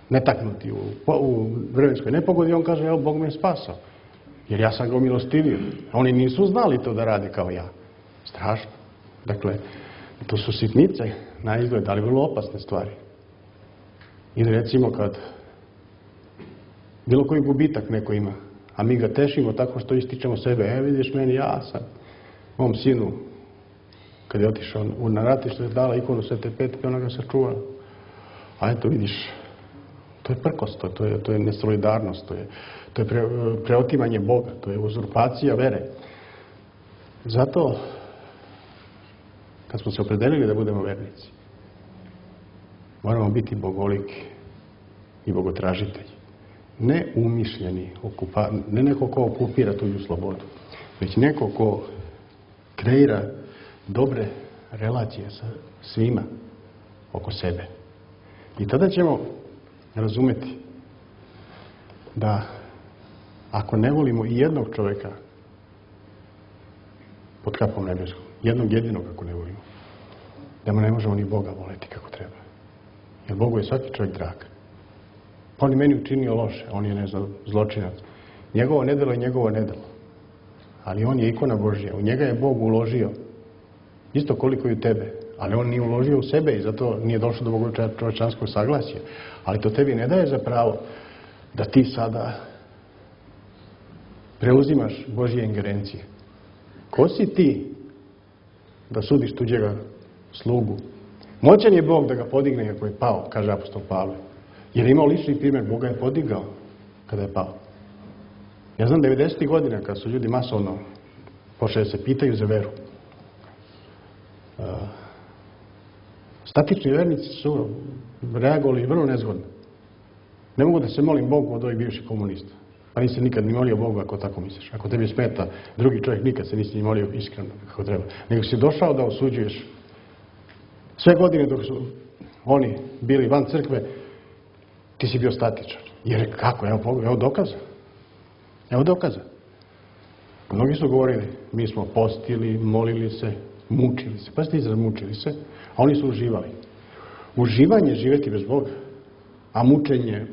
B: netaknuti u, u vremenskoj nepogodi, on kaže, evo, Bog me je spasao. Jer ja sam ga umilostivio. Oni nisu znali to da rade kao ja. Strašno. Dakle, to su sitnice na izgled, ali vrlo opasne stvari. Ili recimo kad bilo koji gubitak neko ima, a mi ga tešimo tako što ističemo sebe. E, vidiš meni, ja sam mom sinu, kad je otišao na ratište, je dala ikonu Svete Petke, ona ga sačuvala. A eto, vidiš, to je prkost, to je, to je nesolidarnost, to je, to je pre, preotimanje Boga, to je uzurpacija vere. Zato, kad smo se opredelili da budemo vernici, moramo biti bogoliki i bogotražitelji. Ne umišljeni, okupa, ne neko ko okupira tuđu slobodu, već neko ko kreira dobre relacije sa svima oko sebe. I tada ćemo razumeti da ako ne volimo i jednog čovjeka pod kapom nebeskom, jednog jedinog ako ne volimo, da mu ne možemo ni Boga voleti kako treba. Jer Bogu je svaki čovjek drag. On je meni učinio loše, on je, ne znam, zločinac. Njegovo nedelo je njegovo nedelo. Ali on je ikona Božja. U njega je Bog uložio isto koliko i u tebe. Ali on nije uložio u sebe i zato nije došlo do Bogovog čovječanskog saglasja. Ali to tebi ne daje za pravo da ti sada preuzimaš Božje ingerencije. Ko si ti da sudiš tuđega slugu? Moćan je Bog da ga podigne ako je pao, kaže apostol Pavle. Jer je imao lični primjer, Bog ga je podigao kada je pao. Ja znam devedesetih godina kad su ljudi masovno počeli da se pitaju za veru. Uh, statični vernici su reagovali vrlo nezgodno. Ne mogu da se molim Bogu od ovih bivših komunista. Pa nisi nikad ni molio Bogu ako tako misliš. Ako tebi smeta drugi čovjek, nikad se nisi ni molio iskreno kako treba. Nego si došao da osuđuješ sve godine dok su oni bili van crkve, ti si bio statičan. Jer kako? Evo, evo dokaza. Evo dokaza. Mnogi su govorili, mi smo postili, molili se, mučili se. Pazite izraz, mučili se, a oni su uživali. Uživanje je živjeti bez Boga, a mučenje,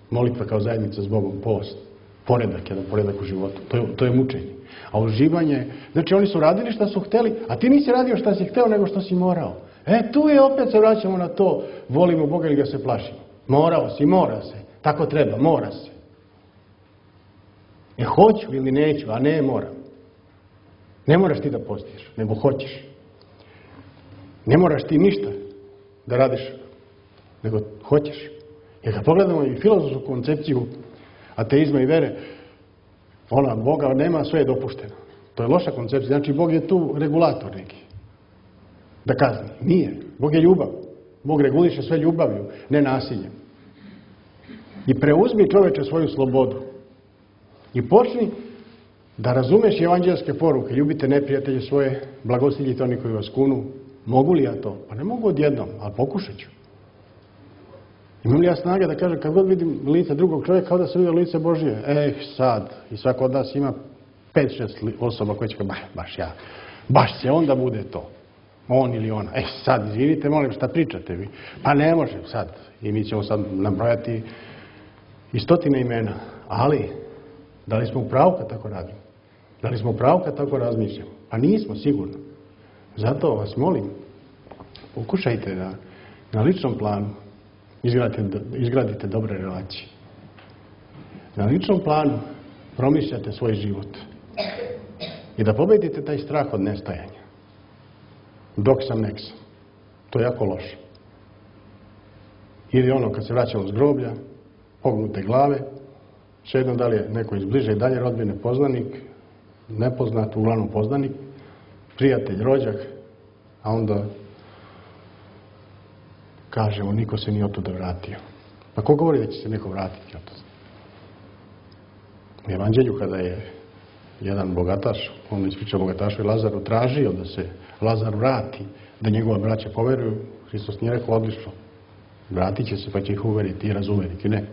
B: molitva kao zajednica s Bogom, post, poredak, jedan poredak u životu. To je, to je mučenje. A uživanje, znači oni su radili šta su hteli, a ti nisi radio šta si hteo, nego što si morao. E, tu je opet se vraćamo na to, volimo Boga ili ga se plašimo. Morao si, mora se. Tako treba, mora se. E, hoću ili neću, a ne moram. Ne moraš ti da postiš, nego hoćeš. Ne moraš ti ništa da radiš, nego hoćeš. Jer kad pogledamo i filozofsku koncepciju ateizma i vere, ona, Boga nema, sve je dopušteno. To je loša koncepcija. Znači, Bog je tu regulator neki. Da kazni. Nije. Bog je ljubav. Bog reguliše sve ljubavlju, ne nasiljem. I preuzmi čoveče svoju slobodu. I počni da razumeš evanđelske poruke. Ljubite neprijatelje svoje, blagosiljite oni koji vas kunu. Mogu li ja to? Pa ne mogu odjednom, ali pokušat ću. Imam li ja snage da kažem, kad god vidim lice drugog čovjeka, kao da se vidio lice Božije? Eh, sad. I svako od nas ima pet, šest osoba koje će kao, baš, baš ja. Baš će onda bude to. On ili ona. Eh, sad, izvinite, molim, šta pričate vi? Pa ne može sad. I mi ćemo sad nabrojati i stotine imena. Ali, da li smo u pravu kad tako radimo? Da li smo u pravu kad tako razmišljamo? Pa nismo, sigurno. Zato vas molim, pokušajte da na ličnom planu izgradite, izgradite dobre relacije. Na ličnom planu promišljate svoj život i da pobedite taj strah od nestajanja. Dok sam, nek sam. To je jako loše. Ili ono kad se vraćamo s groblja, pognute glave, svejedno da li je neko iz bliže i dalje rodbine, poznanik, nepoznat, uglavnom poznanik, prijatelj, rođak, a onda kažemo, niko se nije otuda vratio. Pa ko govori da će se neko vratiti otuda? U Evanđelju kada je jedan bogataš, on ispriča bogatašu i Lazaru, tražio da se Lazar vrati, da njegova braća poveruju, Hristos nije rekao odlično. Vratit će se pa će ih uveriti i razuveriti. Ne.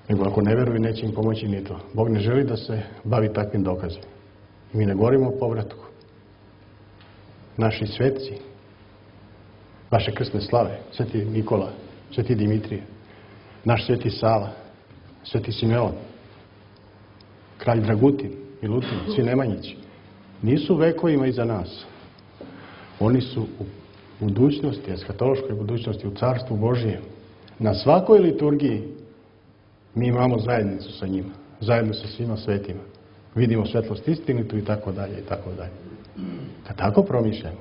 B: Nego ako ne veruju, neće im pomoći ni to. Bog ne želi da se bavi takvim dokazima. I mi ne govorimo o povratku. Naši sveci, vaše krsne slave, sveti Nikola, sveti Dimitrije, naš sveti Sava, sveti Simeon, kralj Dragutin, Milutin, svi Nemanjići, nisu vekovima iza nas. Oni su u budućnosti, eskatološkoj budućnosti, u Carstvu Božijem. Na svakoj liturgiji mi imamo zajednicu sa njima, zajedno sa svima svetima. Vidimo svetlost istinitu i tako dalje i tako dalje. Kad tako promišljamo,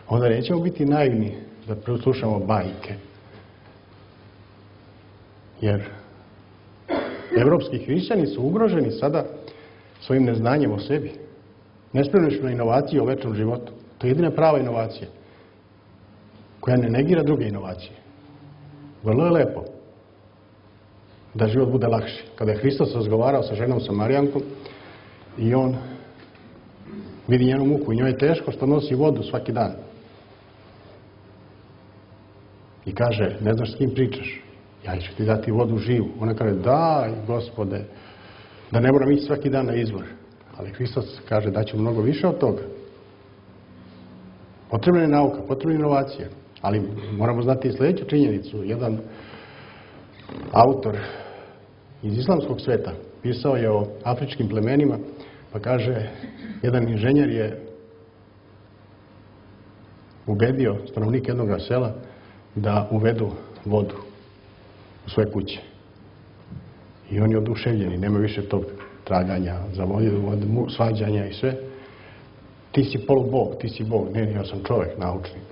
B: onda nećemo biti naivni da preslušamo bajke. Jer evropski hrišćani su ugroženi sada svojim neznanjem o sebi. Nespremni su na inovacije o večnom životu. To je jedina prava inovacija koja ne negira druge inovacije. Vrlo je lepo da život bude lakši. Kada je Hristos razgovarao sa ženom Samarijankom i on vidi njenu muku i njoj je teško što nosi vodu svaki dan. I kaže, ne znaš s kim pričaš? Ja ću ti dati vodu živu. Ona kaže, daj, Gospode, da ne moram ići svaki dan na izvor. Ali Hristos kaže, daću mnogo više od toga. Potrebna je nauka, potrebna je inovacija. Ali moramo znati i sljedeću činjenicu. Jedan autor iz islamskog sveta pisao je o afričkim plemenima, pa kaže, jedan inženjer je ubedio stanovnike jednog sela da uvedu vodu u svoje kuće. I oni oduševljeni, nema više tog traganja za vodu, svađanja i sve. Ti si polubog, ti si Bog. Ne, ja sam čovjek, naučnik.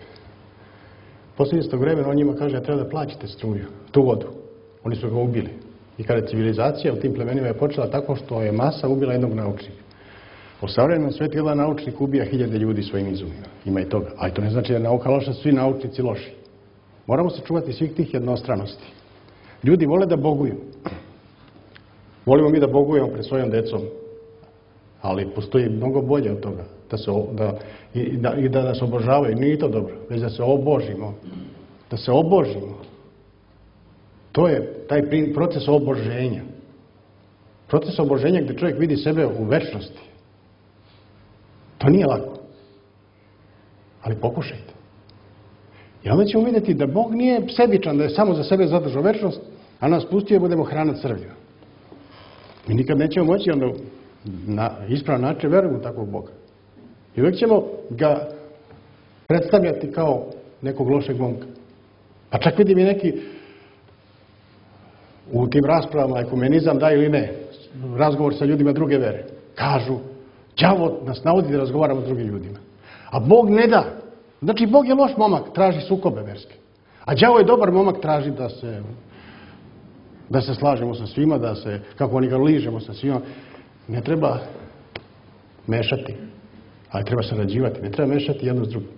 B: Poslije istog vremena on njima kaže, ja treba da plaćate struju, tu vodu. Oni su ga ubili. I kada civilizacija u tim plemenima je počela tako što je masa ubila jednog naučnika. U savremenom svijetu jedan naučnik ubija hiljade ljudi svojim izumima. Ima i toga. Ali to ne znači da je nauka loša, svi naučnici loši. Moramo se čuvati svih tih jednostranosti. Ljudi vole da boguju. Volimo mi da bogujemo pred svojom decom. Ali postoji mnogo bolje od toga. Da se, da, i, da, I da nas obožavaju. Nije to dobro. Već da se obožimo. Da se obožimo. To je taj proces oboženja. Proces oboženja gdje čovjek vidi sebe u večnosti. To nije lako. Ali pokušajte. I onda ćemo vidjeti da Bog nije sebičan, da je samo za sebe zadržao večnost, a nas pustio da budemo hrana crvima. Mi nikad nećemo moći onda na ispravan način verujemo takvog Boga. I uvijek ćemo ga predstavljati kao nekog lošeg momka. Pa čak vidim i neki u tim raspravama, ekumenizam da ili ne, razgovor sa ljudima druge vere. Kažu, đavo nas navodi da razgovaramo s drugim ljudima. A Bog ne da. Znači, Bog je loš momak, traži sukobe verske. A đavo je dobar momak, traži da se, da se slažemo sa svima, da se, kako oni ga ližemo sa svima. Ne treba mešati, ali treba sarađivati. Ne treba mešati jedno s drugim.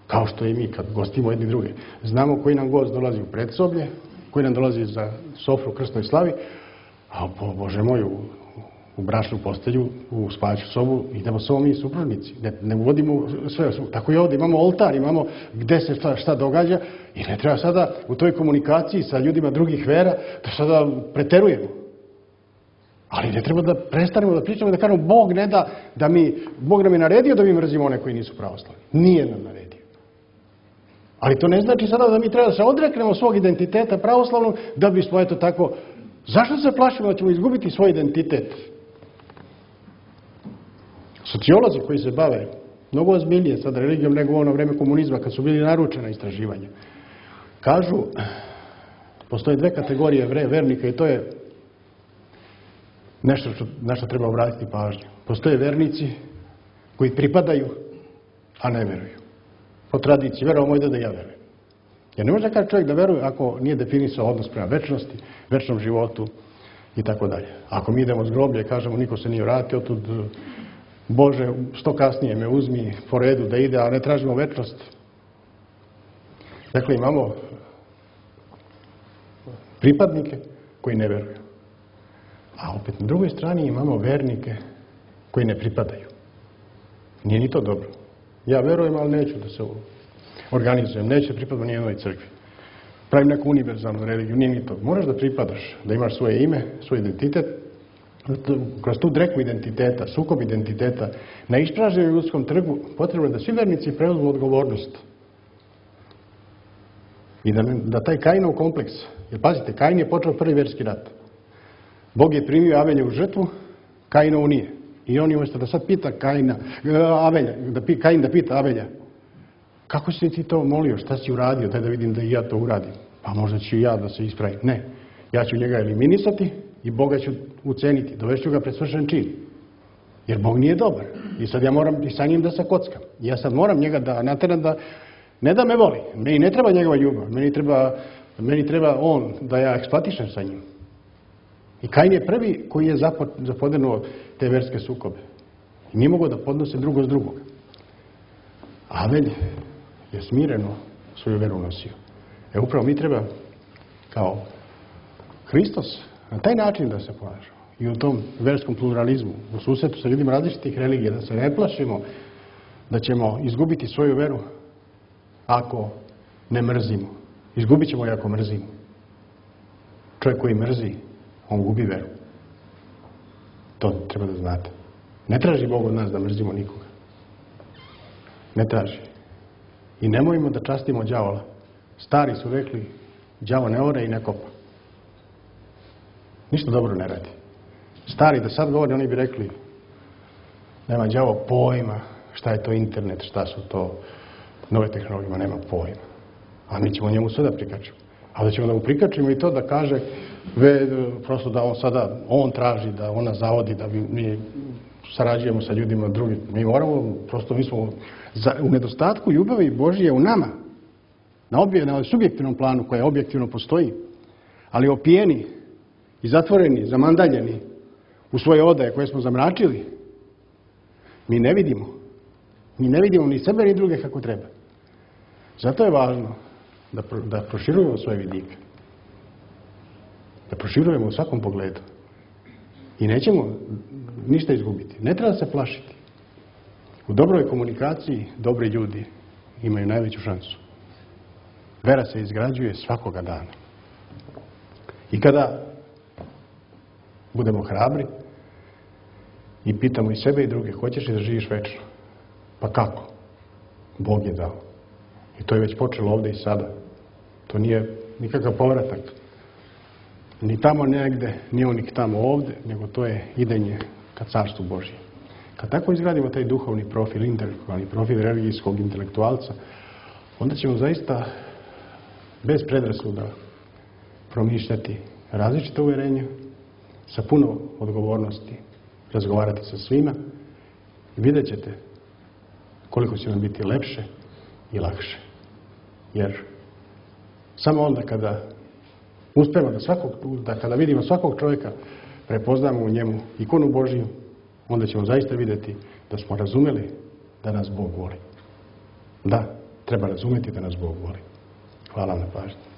B: Kao što i mi kad gostimo jedni druge. Znamo koji nam gost dolazi u predsoblje, koji nam dolazi za sofru u krstnoj slavi, a po Bože moj, u, u bračnu postelju, u spavaću sobu, idemo samo mi supružnici. Ne, ne uvodimo sve. Tako i ovdje imamo oltar, imamo gde se šta, šta događa i ne treba sada u toj komunikaciji sa ljudima drugih vera da sada preterujemo. Ali ne treba da prestanemo da pričamo i da kažemo Bog ne da, da mi, Bog nam je naredio da mi mrzimo one koji nisu pravoslavni. Nije nam naredio. Ali to ne znači sada da mi treba da se odreknemo svog identiteta pravoslavnog da bismo, eto tako, zašto se plašimo da ćemo izgubiti svoj identitet? Sociolozi koji se bave mnogo ozbiljnije sad religijom nego u ono vreme komunizma kad su bili naručena istraživanja, kažu, postoje dve kategorije vernika i to je nešto što, na što treba obratiti pažnju. Postoje vernici koji pripadaju, a ne veruju. Po tradiciji, verovao moj deda, ja verujem. Jer ne može da kaže čovjek da veruje ako nije definisao odnos prema večnosti, večnom životu i tako dalje. Ako mi idemo s groblja i kažemo niko se nije vratio, tud Bože, što kasnije me uzmi po redu da ide, a ne tražimo večnost. Dakle, imamo pripadnike koji ne veruju. A opet na drugoj strani imamo vernike koji ne pripadaju. Nije ni to dobro. Ja verujem, ali neću da se organizujem, neću pripadati ni jednoj crkvi. Pravim neku univerzalnu religiju, nije ni to. Moraš da pripadaš, da imaš svoje ime, svoj identitet. Kroz tu dreku identiteta, sukob identiteta, na ispražnjenom ljudskom trgu potrebno je da svi vernici preuzmu odgovornost. I da, da taj Kainov kompleks, jer pazite, Kain je počeo prvi verski rat. Bog je primio Aveljevu žrtvu, Kainovu nije. I on je umjesto da sad pita Kaina, Avelja, da pi, Kain da pita Avelja, kako si ti to molio, šta si uradio, daj da vidim da i ja to uradim. Pa možda ću i ja da se ispravim. Ne, ja ću njega eliminisati i Boga ću uceniti, dovešću ga pred svršen čin. Jer Bog nije dobar. I sad ja moram i sa njim da se kockam. I ja sad moram njega da nateram da, ne da me voli, meni ne treba njegova ljubav, meni treba, meni treba on da ja eksploatišem sa njim. I Kain je prvi koji je zapodenuo te verske sukobe. I nije mogao da podnose drugo s drugog. Avelj je smireno svoju veru nosio. E upravo mi treba kao Hristos na taj način da se ponašamo. I u tom verskom pluralizmu, u susretu sa ljudima različitih religija, da se ne plašimo da ćemo izgubiti svoju veru ako ne mrzimo. Izgubit ćemo je ako mrzimo. Čovjek koji mrzi, on gubi veru. To treba da znate. Ne traži Bog od nas da mrzimo nikoga. Ne traži. I nemojmo da častimo đavola. Stari su rekli, đavo ne ore i ne kopa. Ništa dobro ne radi. Stari da sad govori, oni bi rekli, nema đavo pojma šta je to internet, šta su to nove tehnologije, nema pojma. A mi ćemo njemu sve da prikačemo. A da ćemo da mu prikačimo i to da kaže, ve, prosto da on sada, on traži, da ona zavodi, da mi sarađujemo sa ljudima drugim. Mi moramo, prosto mi smo za, u nedostatku ljubavi Božije u nama, na, obje, na subjektivnom planu koja objektivno postoji, ali opijeni i zatvoreni, zamandaljeni u svoje odaje koje smo zamračili, mi ne vidimo. Mi ne vidimo ni sebe ni druge kako treba. Zato je važno da, pro, da proširujemo svoje vidike. Da proširujemo u svakom pogledu. I nećemo ništa izgubiti. Ne treba se plašiti. U dobroj komunikaciji dobri ljudi imaju najveću šansu. Vera se izgrađuje svakoga dana. I kada budemo hrabri i pitamo i sebe i druge, hoćeš li da živiš večno? Pa kako? Bog je dao. I to je već počelo ovdje i sada. To nije nikakav povratak. Ni tamo negde, ni on ni tamo ovdje, nego to je idenje ka carstvu Božje. Kad tako izgradimo taj duhovni profil, intelektualni profil religijskog intelektualca, onda ćemo zaista bez predrasuda promišljati različite uvjerenja, sa puno odgovornosti razgovarati sa svima i vidjet ćete koliko će nam biti lepše i lakše. Jer samo onda kada uspemo da svakog, da kada vidimo svakog čovjeka, prepoznamo u njemu ikonu Božiju, onda ćemo zaista vidjeti da smo razumeli da nas Bog voli. Da, treba razumjeti da nas Bog voli. Hvala na pažnji.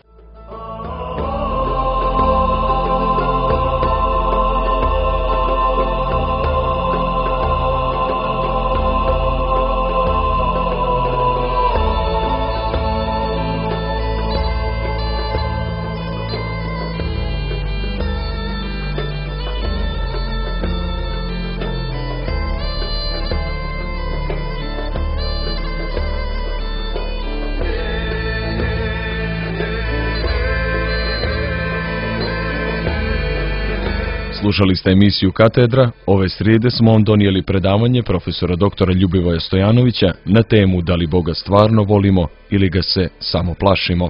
A: Slušali ste emisiju Katedra. Ove srijede smo vam donijeli predavanje profesora doktora Ljubivoja Stojanovića na temu da li Boga stvarno volimo ili ga se samo plašimo.